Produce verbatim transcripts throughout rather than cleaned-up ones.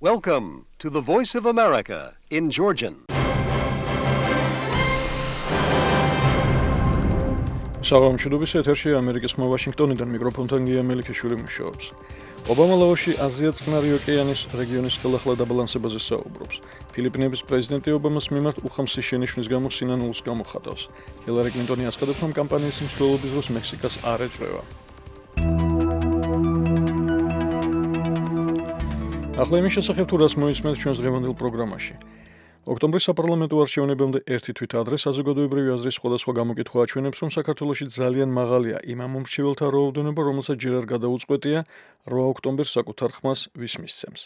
Welcome to the Voice of America in Georgian. საღამო მშვიდობის ეთერში ამერიკის ხმა ვაშინგტონიდან მიკროფონთან გია მელიქიშვილი მუშაობს. ობამა ლაოსში აზია-წყნარი ოკეანის რეგიონის ხელახლა დაბალანსებაზე საუბრობს. ფილიპინების პრეზიდენტი ობამას მიმართ უხამსი შენიშვნის გამო სინანულს გამოხატავს. ჰილარი კლინტონი აცხადებს, რომ კამპანიის მსვლელობის დროს მექსიკას არ ეწვევა. ახლა იმის შესახებ თუ რას მოისმენთ ჩვენს დღევანდელ პროგრამაში. ოქტომბრის საპარლამენტო არჩევნებამდე ერთი თვით ადრე საზოგადოებრივი აზრის სხვადასხვა გამოკითხვა აჩვენებს, რომ საქართველოში ძალიან მაღალია იმ ამომრჩეველთა რაოდენობა, რომელსაც ჯერ არ გადაუწყვეტია რვა ოქტომბერს საკუთარ ხმას ვის მისცემს.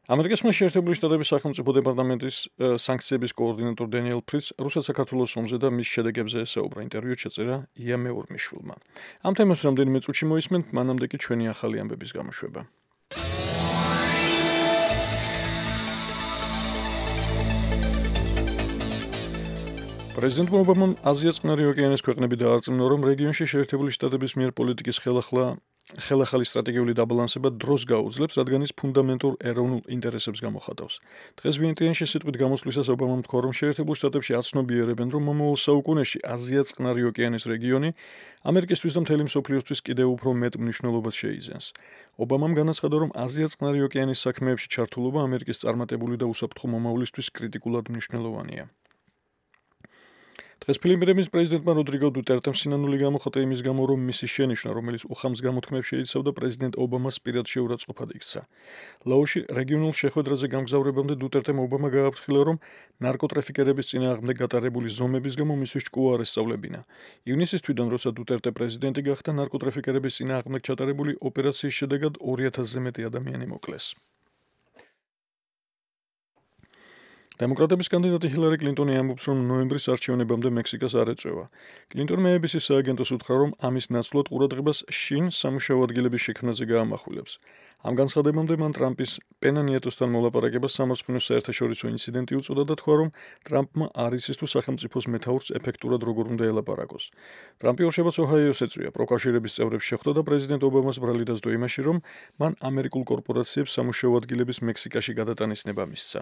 ამერიკის შეერთებული შტატების სახელმწიფო დეპარტამენტის სანქციების კოორდინატორ დენიელ ფრიც რუსეთ-საქართველოს ომზე და მის შედეგებზე ესაუბრა. ინტერვიუ შეწერა ია მეურმიშვილმა. ამ თემებს რამდენიმე წუთში მოისმენთ, მანამდე კი ჩვენი ახალი ამბების გამოშვება. პრეზიდენტ ობამამ აზია-წყნარი ოკეანის ქვეყნები დაარწმუნა, რომ რეგიონში შეერთებული შტატების მიერ პოლიტიკის ხელახლა ხელახალი სტრატეგიული დაბალანსება დროს გაუძლებს, რადგან ის ფუნდამენტურ ეროვნულ ინტერესებს გამოხატავს. დღეს ვიენტიანში სიტყვით გამოსვლისას ობამამ თქვა, რომ შეერთებულ შტატებში აცნობიერებენ, რომ მომავალ საუკუნეში აზია-წყნარი ოკეანის რეგიონი ამერიკისთვის და მთელი მსოფლიოსთვის კიდევ უფრო მეტ მნიშვნელობას შეიძენს. ობამამ განაცხადა, რომ აზია-წყნარი ოკეანის საქმეებში ჩართულობა ამერიკის წარმატებული და უსაფრთხო მომავლისთვის კრიტიკულად მნიშვნელოვანია. დღეს ფილიპინების პრეზიდენტმა როდრიგო დუტერტემ სინანული გამოხატა იმის გამო, რომ მისი შენიშვნა, რომელიც უხამს გამოთქმებს შეიცავდა, პრეზიდენტ ობამას პირად შეურაცხყოფად იქცა. ლაოსში რეგიონულ შეხვედრაზე გამგზავრებამდე დუტერტემ ობამა გააფრთხილა, რომ ნარკოტრაფიკერების წინააღმდეგ გატარებული ზომების გამო მისთვის ჭკუა არ ესწავლებინა. ივნისის თვიდან, როცა დუტერტე პრეზიდენტი გახდა, ნარკოტრაფიკერების წინააღმდეგ ჩატარებული ოპერაციის შედეგად ორი ათასზე მეტი ადამიანი მოკლეს. დემოკრატების კანდიდატი ჰილარი კლინტონი ამბობს, რომ ნოემბრის არჩევნებამდე მექსიკას არ ეწვევა. კლინტონმა ე ბი სის სააგენტოს უთხრა, რომ ამის ნაცვლად ყურადღებას შინ სამუშაო ადგილების შექმნაზე გაამახვილებს. ამ განცხადებამდე მან ტრამპის პენა ნიეტოსთან მოლაპარაკებას სამარცხვინო საერთაშორისო ინციდენტი უწოდა და თქვა, რომ ტრამპმა არ იცის თუ სახელმწიფოს მეთაურს ეფექტურად როგორ უნდა ელაპარაკოს. ტრამპი ორშაბათს ოჰაიოს ეწვია, პროკავშირების წევრებს შეხვდა და პრეზიდენტ ობამას ბრალი დასდო იმაში, რომ მან ამერიკულ კორპორაციებს სამუშაო ადგილების მექსიკაში გადატანის ნება მისცა.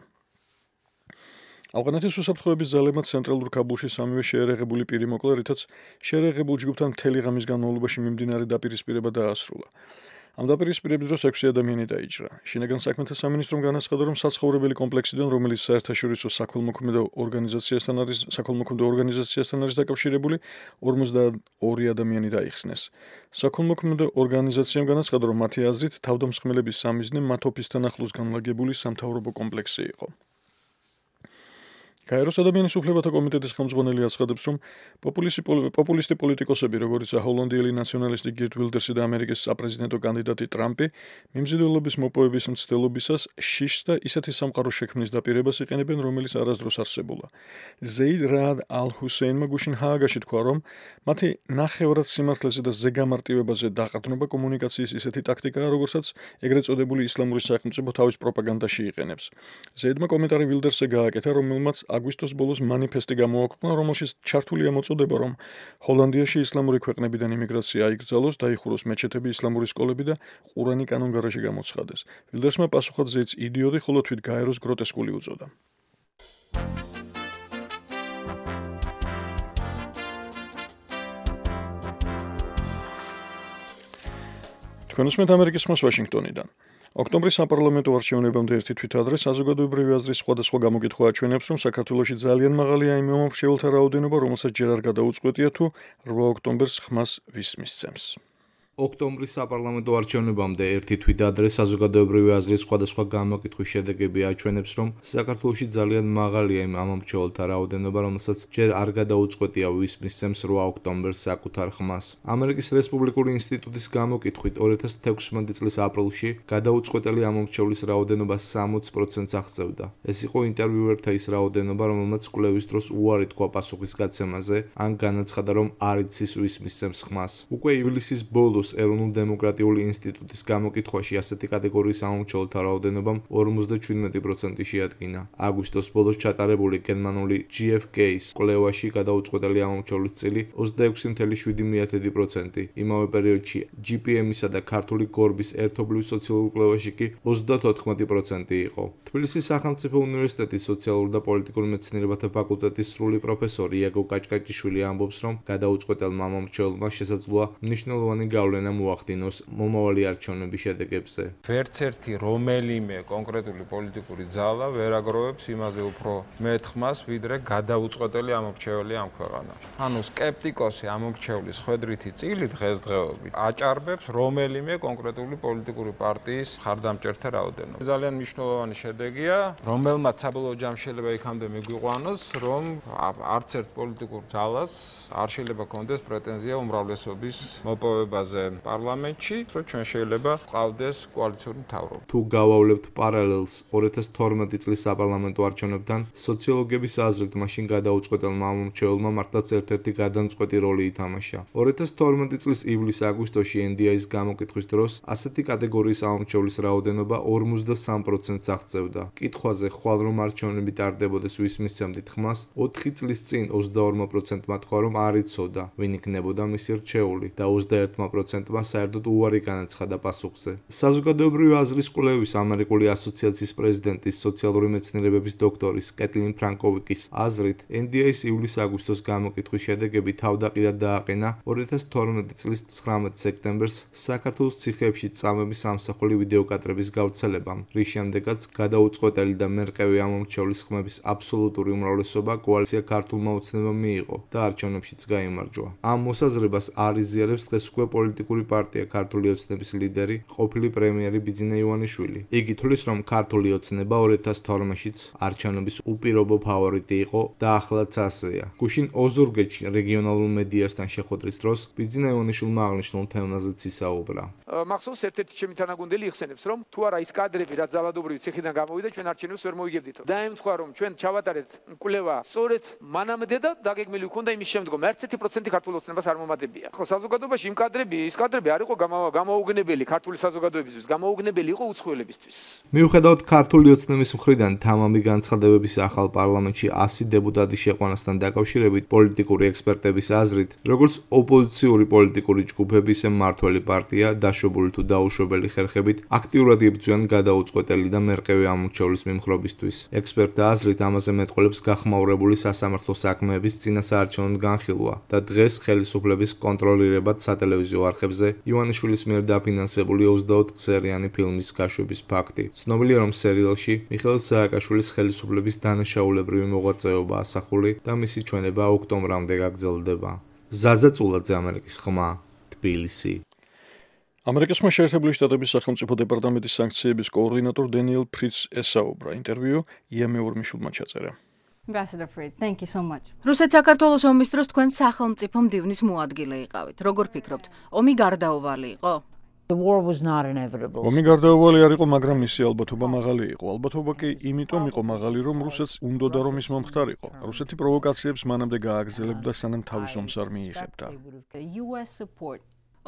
ავღანეთის უსაფრთხოების ძალებმა ცენტრალურ ქაბულში სამივე შეერეღებული პირი მოკლა, რითაც შეერეღებულ ჯგუფთან მთელი ღამის განმავლობაში მიმდინარე დაპირისპირება დაასრულა. ამ დაპირისპირების დროს ექვსი ადამიანი დაიჭრა. შინაგან საქმეთა სამინისტრომ განაცხადა, რომ საცხოვრებელი კომპლექსიდან, რომელიც საერთაშორისო საქველმოქმედო ორგანიზაციასთან არის, საქველმოქმედო ორგანიზაციასთან არის დაკავშირებული, ორმოცდაორი ადამიანი დაიხსნეს. საქველმოქმედო ორგანიზაციამ განაცხადა, რომ მათი აზრით თავდამსხმელების სამიზნე მათოფისთან ახლოს განლაგებული სამთავრობო კომპლექსი იყო. გაეროს ადამიანის უფლებათა კომიტეტის ხელმძღვანელი აცხადებს, რომ პოპულისტი პოლიტიკოსები, როგორიც ჰოლანდიელი ნაციონალისტი გირდ ვილდერსი და ამერიკის საპრეზიდენტო კანდიდატი ტრამპი, მიმზიდველობის მოპოვების მცდელობისას შიშს და ისეთი სამყაროს შექმნის დაპირებას იყენებენ, რომელიც არასდროს არსებულა. ზეიდ რაად ალ-ჰუსეინმა გუშინ ჰააგაში თქვა, რომ მათი ნახევრად სიმართლეზე და ზეგამარტივებაზე დაყრდნობა კომუნიკაციის ისეთი ტაქტიკაა, როგორცაც ეგრეთ წოდებული ისლამური სახელმწიფო თავის პროპაგანდაში იყენებს. ზეიდმა კომენტარი ვილდერსზე გააკეთა, რომელმაც აგვისტოს ბოლოს მანიფესტი გამოაქვეყნა, რომელშიც ჩართულია მოწოდება, რომ ჰოლანდიაში ისლამური ქვეყნებიდან იმიგრაცია აიკრძალოს, დაიხუროს მეჩეთები, ისლამური სკოლები და ყურანი კანონგარაში გამოცხადეს. ვილდერსმა პასუხად ზეიდს იდიოტი, ხოლო თვით გაეროს გროტესკული უწოდა. თქვენ უსმენთ ამერიკის ხმას ვაშინგტონიდან. ოქტომბრის საპარლამენტო არჩევნებამდე ერთი თვით ადრე საზოგადოებრივი აზრის სხვადასხვა გამოკითხვა აჩვენებს, რომ საქართველოში ძალიან მაღალია იმ მომრჩეველთა რაოდენობა, რომელსაც ჯერ არ გადაუწყვეტია თუ რვა ოქტომბერს ხმას ვის მისცემს. ოქტომბრის საპარლამენტო არჩევნებამდე ერთი თვით ადრე საზოგადოებრივი აზრის სხვადასხვა გამოკითხვის შედეგები აჩვენებს, რომ საქართველოში ძალიან მაღალია იმ ამომრჩეველთა რაოდენობა, რომელსაც ჯერ არ გადაუწყვეტია ვის მისცემს რვა ოქტომბერს საკუთარ ხმას. ამერიკის რესპუბლიკური ინსტიტუტის გამოკითხვით ორი ათას თექვსმეტი წლის აპრილში გადაუწყვეტელი ამომრჩევლის რაოდენობა სამოც პროცენტს აღწევდა. ეს იყო ინტერვიუერთა ის რაოდენობა, რომელმაც კვლევის დროს უარი თქვა პასუხის გაცემაზე, ან განაცხადა, რომ არ იცის ვის მისცემს ხმას. უკვე ივლისის ბოლოს არსებობს ეროვნულ დემოკრატიული ინსტიტუტის გამოკითხვაში ასეთი კატეგორიის ამომრჩეველთა რაოდენობამ ორმოცდაჩვიდმეტი პროცენტი შეადგინა. აგვისტოს ბოლოს ჩატარებული გერმანული ჯი ეფ კეის კვლევაში გადაუწყვეტელი ამომრჩევლის წილი ოცდაექვსი ათეული შვიდი პროცენტი. იმავე პერიოდში ჯი პი ემ-ისა და ქართული გორბის ერთობლივ სოციალურ კვლევაში კი ოცდათოთხმეტი პროცენტი იყო. თბილისის სახელმწიფო უნივერსიტეტის სოციალურ და პოლიტიკურ მეცნიერებათა ფაკულტეტის სრული პროფესორი იაგო კაჭკაჭიშვილი ამბობს, რომ გადაუწყვეტელმა ამომრჩეველმა შესაძლოა მნიშვნელოვანი გავლენა მოახდინოს მომავალი არჩევნების შედეგებზე. ვერც ერთი რომელიმე კონკრეტული პოლიტიკური ძალა ვერ აგროვებს იმაზე უფრო მეტ ხმას, ვიდრე გადაუწყვეტელი ამომრჩეველი ამ ქვეყანაში. ანუ სკეპტიკოსი ამომრჩევლის ხვედრითი წილი დღესდღეობით აჭარბებს რომელიმე კონკრეტული პოლიტიკური პარტიის ხარდამჭერთა რაოდენობას. ძალიან მნიშვნელოვანი შედეგია, რომელმაც საბოლოო ჯამში შეიძლება იქამდე მიგვიყვანოს, რომ არც ერთ პოლიტიკურ ძალას არ შეიძლება კონდეს პრეტენზია უმრავლესობის მოპოვებაზე პარლამენტში, რომ ჩვენ შეიძლება ყავდეს კოალიციური მთავრობა. თუ გავავლებთ პარალელს ორი ათას თორმეტი წლის საპარლამენტო არჩევნებთან, სოციოლოგების აზრით მაშინ გადაუწყვეტელმა ამომრჩეველმა მართლაც ერთ-ერთი გადამწყვეტი როლი ითამაშა. ორი ათას თორმეტი წლის ივლის-აგვისტოში εν დი ეის გამოკითხვის დროს ასეთი კატეგორიის ამომრჩევლის რაოდენობა ორმოცდასამ პროცენტს აღწევდა. კითხვაზე ხვალ რომ არჩევნები ტარდებოდეს ვის მისცემდით ხმას, ოთხი წლის წინ ოცდაორ პროცენტმა თქვა, რომ არ იცოდა, ვინ იქნებოდა მისი რჩეული და ოცდაერთ პროცენტმა საერთოდ უარი განაცხადა პასუხზე. საზოგადოებრივი აზრის კვლევის ამერიკული ასოციაციის პრეზიდენტის სოციალური მეცნიერებების დოქტორის კეტლინ ფრანკოვიკის აზრით, εν დი ეის ივლის-აგვისტოს გამოკითხვის შედეგები თავდაყირად დააყენა ორი ათას თორმეტი წლის ცხრამეტ სექტემბერს საქართველოს ციხეებში წამების ამსახველი ვიდეოკადრების გავრცელებამ, რის შემდეგაც გადაუწყვეტელი და მერყევი ამომრჩევლის ხმების აბსოლუტური უმრავლესობა კოალიცია ქართულმა ოცნებამ მიიღო და არჩევნებშიც გაიმარჯვა. ამ მოსაზრებას არ იზიარებს დღეს უკვე პოლიტიკური პარტია ქართული ოცნების ლიდერი, ყოფილი პრემიერი ბიძინა ივანიშვილი. იგი თვლის, რომ ქართული ოცნება ორი ათას თორმეტშიც არჩევნების უპირობო ფავორიტი იყო და ახლაც ასეა. გუშინ ოზურგეთში რეგიონალურ მედიასთან შეხვედრის დროს ბიძინა ივანიშვილმა აღნიშნულ თემაზეც ისაუბრა. მახსოვს ერთ-ერთი ჩემი თანაგუნდელი იხსენებს, რომ თუ არა ის კადრები, რაც ძალადობრივი ციხიდან გამოვიდა, ჩვენ არჩევნებს ვერ მოიგებდითო. დაემთხვა, რომ ჩვენ ჩავატარეთ კვლევა სწორედ მანამდე და დაგეგმილი ჰქონდა იმის შემდგომ ერთ პროცენტი ქართულ ოცნებას არ მომატებია. ხო, საზოგადოებაში იმ კადრები, ის კადრები არ იყო გამოუგნებელი ქართული საზოგადოებისთვის, გამოუგნებელი იყო უცხოელებისთვის. მიუხედავად ქართული ოცნების მხრიდან თამამი განცხადებების ახალ პარლამენტში ასი დეპუტატი შეყვანასთან დაკავშირებით პოლიტიკური ექსპერტების აზრით, როგორც ოპოზიციური პოლიტიკური ჯგუფები, ისე მმართველი პარტია დაშვებული თუ დაუშვებელი ხერხებით აქტიურად იბრძვიან გადაუწყვეტელი და მერყევი ამომრჩევლის მიმხრობისთვის. ექსპერტთა აზრით, ამაზე მეტყველებს გახმაურებული სასამართლო საქმეების წინასაარჩევნო განხილვა და დღეს ხელისუფლების კონტროლირებად სატელევიზიო არხებზე ივანიშვილის მიერ დაფინანსებული ოცდაოთხ სერიანი ფილმის გაშვების ფაქტი. ცნობილია, რომ სერიალში მიხეილ სააკაშვილის ხელისუფლების დანაშაულებრივი მოღვაწეობა ასახული და მისი ჩვენება ოქტომბრამდე გაგრძელდება. ზაზა წულაძე, ამერიკის ხმა, თბილისი. ამერიკის შეერთებული შტატების სახელმწიფო დეპარტამენტის სანქციების კოორდინატორ დენიელ ფრიცს ესაუბრა. ინტერვიუ ია მეორმიშვილმა ჩაწერა. Ambassador Fried, thank you so much. რუსეთ საქართველოს ომის დროს თქვენ სახელმწიფო მდივნის მოადგილე იყავით. როგორ ფიქრობთ, ომი გარდაუვალი იყო? The war was not inevitable. ომი გარდაუვალი არ იყო, მაგრამ მისი ალბათობა მაღალი იყო. ალბათობა კი იმიტომ იყო მაღალი, რომ რუსეთს უნდოდა რომ ის მომხდარიყო. რუსეთი პროვოკაციებს მანამდე გააგრძელებდა, სანამ თავის ომს არ მიიღებდა.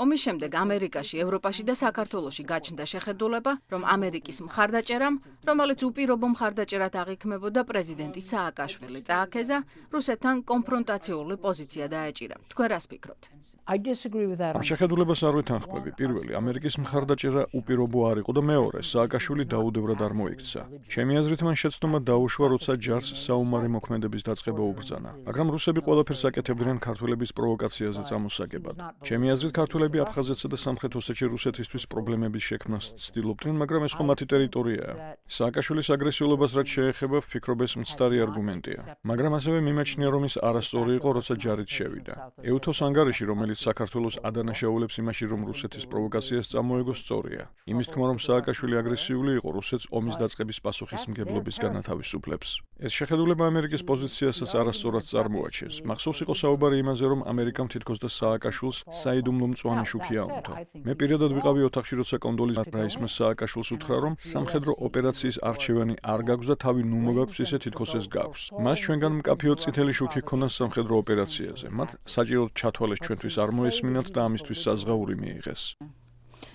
ომის შემდეგ ამერიკაში, ევროპაში და საქართველოში გაჩნდა შეხედულება, რომ ამერიკის მხარდაჭერამ, რომელიც უპირობო მხარდაჭერად აღიქმებოდა პრეზიდენტი სააკაშვილი წააქეზა, რუსეთთან კონფრონტაციული პოზიცია დაეჭირა. თქვენ რას ფიქრობთ? I disagree with that. ამ შეხედულებას არ ვეთანხმები. პირველი, ამერიკის მხარდაჭერა უპირობო არ იყო და მეორე, სააკაშვილი დაუდევრად არ მოიქცა. ჩემი აზრით, მან შეცდომა დაუშვა, როცა ჯარს საომარი მოქმედების დაწყება უბრძანა. მაგრამ რუსები ყველაფერს აკეთებდნენ ქართველების პროვოკაციაზე წამოსაგებად. ჩემი აზრით, ქართველები აფხაზეთსა და სამხრეთ ოსეთში რუსეთისთვის პრობლემების შექმნას ცდილობდნენ, მაგრამ ეს ხო მათი ტერიტორიაა. სააკაშვილის აგრესიულობას რაც შეეხება, ვფიქრობ ეს მცდარი არგუმენტია. მაგრამ ასევე მიმაჩნია, რომ ის არასწორი იყო, როცა ჯარით შევიდა. ეუთოს ანგარიში, რომელიც საქართველოს ადანაშაულებს იმაში, რომ რუსეთის პროვოკაციას წამოეგო, სწორია. იმის თქმა, რომ სააკაშვილი აგრესიული იყო, რუსეთს ომის დაწყების პასუხისმგებლობისგან ათავისუფლებს. ეს შეხედულება ამერიკის პოზიციასაც არასწორად წარმოაჩენს. მახსოვს იყო საუბარი იმაზე, რომ ამერიკამ თითქოს და სააკაშვილს საიდუმლო მწვანე მწვანე შუქი აუნთო. მე პირადად ვიყავი ოთახში, როცა კონდოლიზა რაისმა სააკაშვილს უთხრა, რომ სამხედრო ოპერაციის არჩევანი არ გაქვს და თავი ნუ მოგაქვს, ისე თითქოს ეს გაქვს. მას ჩვენგან მკაფიო წითელი შუქი ჰქონდა სამხედრო ოპერაციაზე. მათ საჭიროდ ჩათვალეს ჩვენთვის არ მოესმინათ და ამისთვის საზღაური მიიღეს.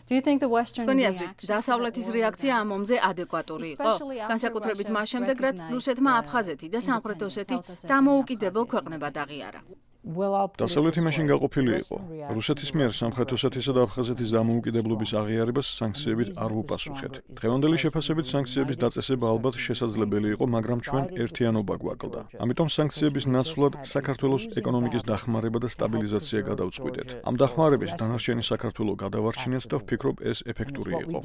თქვენი აზრით, დასავლეთის რეაქცია ამ ომზე ადეკვატური იყო? განსაკუთრებით მას შემდეგ, რაც რუსეთმა აფხაზეთი და სამხრეთ ოსეთი დამოუკიდებელ ქვეყნებად აღიარა. დასავლეთი მაშინ გაყოფილი იყო. რუსეთის მიერ სამხრეთ ოსეთისა და აფხაზეთის დამოუკიდებლობის აღიარებას სანქციებით არ ვუპასუხეთ. დღევანდელი შეფასებით სანქციების დაწესება ალბათ შესაძლებელი იყო, მაგრამ ჩვენ ერთიანობა გვაკლდა. ამიტომ სანქციების ნაცვლად საქართველოს ეკონომიკის დახმარება და სტაბილიზაცია გადავწყვიტეთ. ამ დახმარების დანარჩენი საქართველო გადავარჩინეთ და ვფიქრობ, ეს ეფექტური იყო.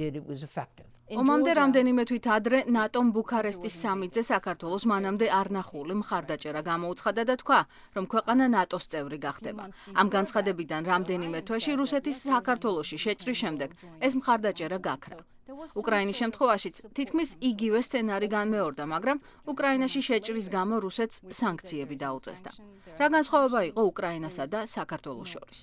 ომამდე რამდენიმე თვით ადრე ნატომ ბუქარესტის სამიტზე საქართველოს მანამდე არ ნახული მხარდაჭერა გამოუცხადა და თქვა, რომ ქვეყანა ნატოს წევრი გახდება. ამ განცხადებიდან რამდენიმე თვეში რუსეთის საქართველოში შეჭრის შემდეგ ეს მხარდაჭერა გაქრა. უკრაინის შემთხვევაშიც თითქმის იგივე სცენარი განმეორდა, მაგრამ უკრაინაში შეჭრის გამო რუსეთს სანქციები დაუწესდა. რა განსხვავება იყო უკრაინასა და საქართველოს შორის?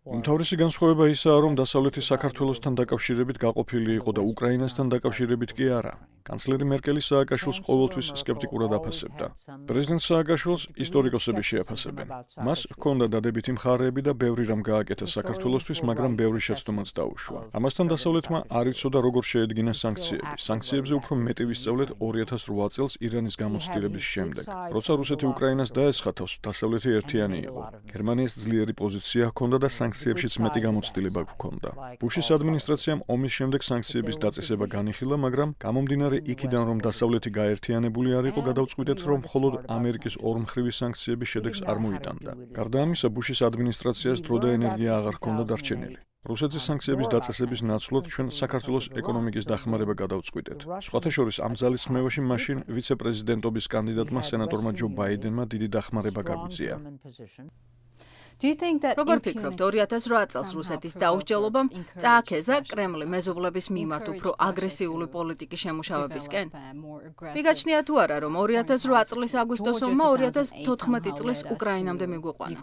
უმთავრესი განსხვავება ისაა, რომ დასავლეთი საქართველოსთან დაკავშირებით გაყოფილი იყო და უკრაინასთან დაკავშირებით კი არა. კანცლერი მერკელი სააკაშვილს ყოველთვის სკეპტიკურად აფასებდა. პრეზიდენტ სააკაშვილს ისტორიკოსები შეაფასებენ. მას ჰქონდა დადებითი მხარეები და ბევრი რამ გააკეთა საქართველოსთვის, მაგრამ ბევრი შეცდომაც დაუშვა. ამასთან დასავლეთმა არ იცოდა როგორ შეედგინა სანქციები. სანქციებზე უფრო მეტი ვისწავლეთ ორი ათას რვა წელს ირანის გამოცდილების შემდეგ. როცა რუსეთი უკრაინას დაესხათავს, დასავლეთი ერთიანი იყო. გერმანიის ძლიერი პოზიცია ჰქონდა და სანქციებშიც მეტი გამოცდილება ჰქონდა. ბუშის ადმინისტრაციამ ომის შემდეგ სანქციების დაწესება განიხილა, მაგრამ გამომდინარე იქიდან, რომ დასავლეთი გაერთიანებული არ იყო, გადავწყვიტეთ, რომ მხოლოდ ამერიკის ორმხრივი სანქციების შედეგს არ მოიტანდა. გარდა ამისა, ბუშის ადმინისტრაციას დრო და ენერგია აღარ ჰქონდა დარჩენილი. რუსეთის სანქციების დაწესების ნაცვლად ჩვენ საქართველოს ეკონომიკის დახმარება გადავწყვიტეთ. სხვათა შორის ამ ძალის ხმევაში მაშინ ვიცე-პრეზიდენტობის კანდიდატმა სენატორმა ჯო ბაიდენმა დიდი დახმარება გაგვიწია. როგორ ფიქრობთ, ორი ათას რვა წელს რუსეთის დაუსჯელობამ წააქეზა კრემლი მეზობლების მიმართ უფრო აგრესიული პოლიტიკის შემუშავებისკენ? მიგაჩნია თუ არა, რომ ორი ათას რვა წლის აგვისტოს ომმა ორი ათას თოთხმეტი წლის უკრაინამდე მიგვიყვანა?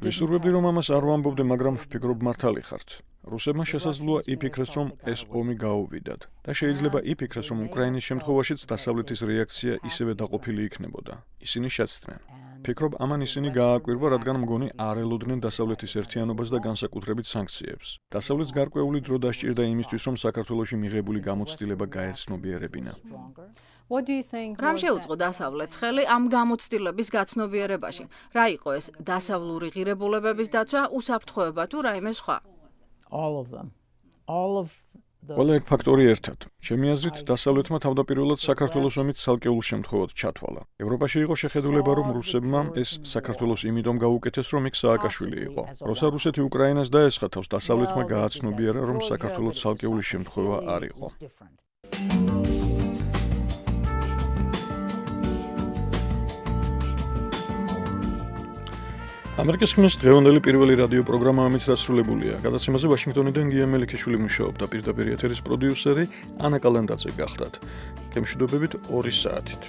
ვისურვებდი, რომ ამას არ ვამბობდე, მაგრამ ვფიქრობ მართალი ხართ. რუსებმა შესაძლოა იფიქრეს, რომ ეს ომი გაუვიდათ და შეიძლება იფიქრეს, რომ უკრაინის შემთხვევაშიც დასავლეთის რეაქცია ისევე დაყოფილი იქნებოდა. ისინი შეცდნენ. ფიქრობ, ამან ისინი გააკვირვა, რადგან მგონი არ ელოდნენ დასავლეთის ერთიანობას და განსაკუთრებით სანქციებს. დასავლეთს გარკვეული დრო დასჭირდა იმისთვის, რომ საქართველოში მიღებული გამოცდილება გაეცნობიერებინა. რამ შეუწყო დასავლეთს ხელი ამ გამოცდილების გაცნობიერებაში? რა იყო ეს დასავლური ღირებულებების დაცვა, უსაფრთხოება თუ რაიმე სხვა? ყველა ეგ ფაქტორი ერთად. ჩემი აზრით, დასავლეთმა თავდაპირველად საქართველოს ომით ცალკეულ შემთხვევად ჩათვალა. ევროპაში იყო შეხედულება, რომ რუსებმა ეს საქართველოს იმითომ გაუკეთეს, რომ იქ სააკაშვილი იყო. როცა რუსეთი უკრაინას დაესხათავს, დასავლეთმა გააცნობიერა, რომ საქართველოს ცალკეული შემთხვევა არ იყო. ამერიკის ხმის დღევანდელი პირველი რადიო პროგრამა ამით დასრულებულია. გადაცემაზე ვაშინგტონიდან გია მელიქიშვილი მუშაობდა, პირდაპირ ეთერის პროდიუსერი ანა კალანდაძე გახდათ. გემშვიდობებით ორი საათით.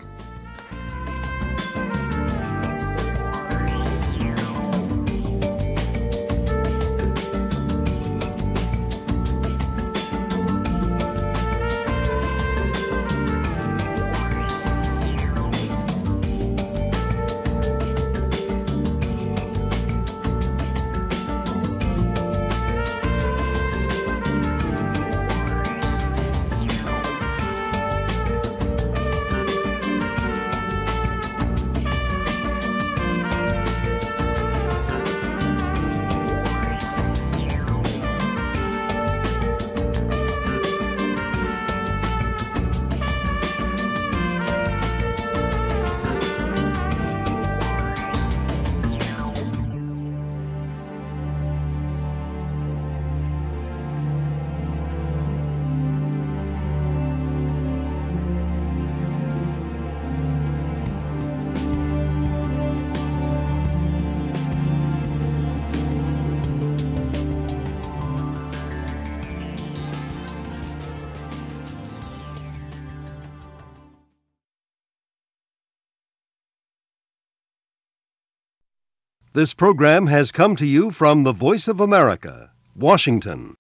This program has come to you from the Voice of America, Washington.